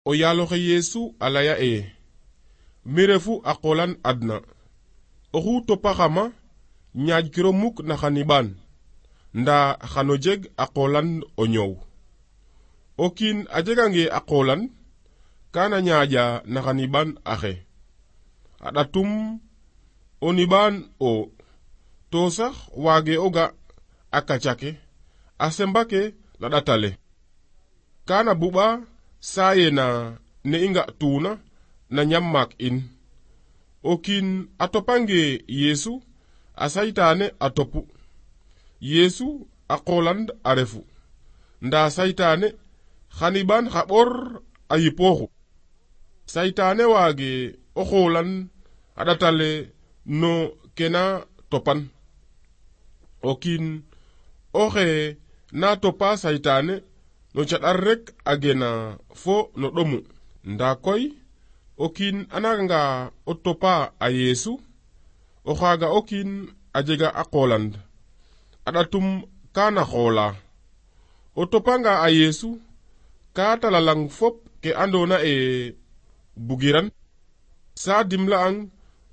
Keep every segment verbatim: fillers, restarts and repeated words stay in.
o yaaloxe Yeesu a laya e mi refu a qolan adna oxu topaxama ñaƴkiro muk na xaniɓaan nda xano jeg a qolan o ñoow. O kiin a jegange a qolan kana ñaaƴa na xaniɓaan axe a ɗatum o niɓaan o to sax waage o ga a kacake a sembake na ɗatale kana buɓa sayena ne i nga tuuna na ñam maak in. O kiin a topange Yeesu a saytaane a topu. Yeesu a qolan a refu nda saytaane xaniɓaan xa ɓor a yipooxu. Saytaane waage o xoolan a ɗatale no kena topan. O kiin oxe na topa saytaane no caɗar rek a gena fo no ɗomu. Nda koy o kiin a nanga o topa a Yeesu o xaaga o kiin a jega a qolan a ɗatum kana xoola. O topanga a Yeesu ka talalang fop ke andona e bugiran sa dimla'ang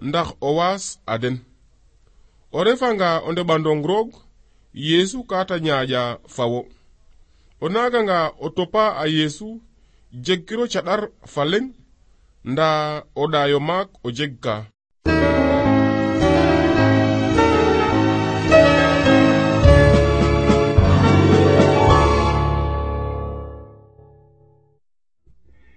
ndax o waas a den. O refanga o ndeɓandong roog Yeesu ka ta ñaaƴa fawo. O naganga o topa a Yeesu jegkiro caɗar fa leŋ nda o ɗaayo maak o jeg ka.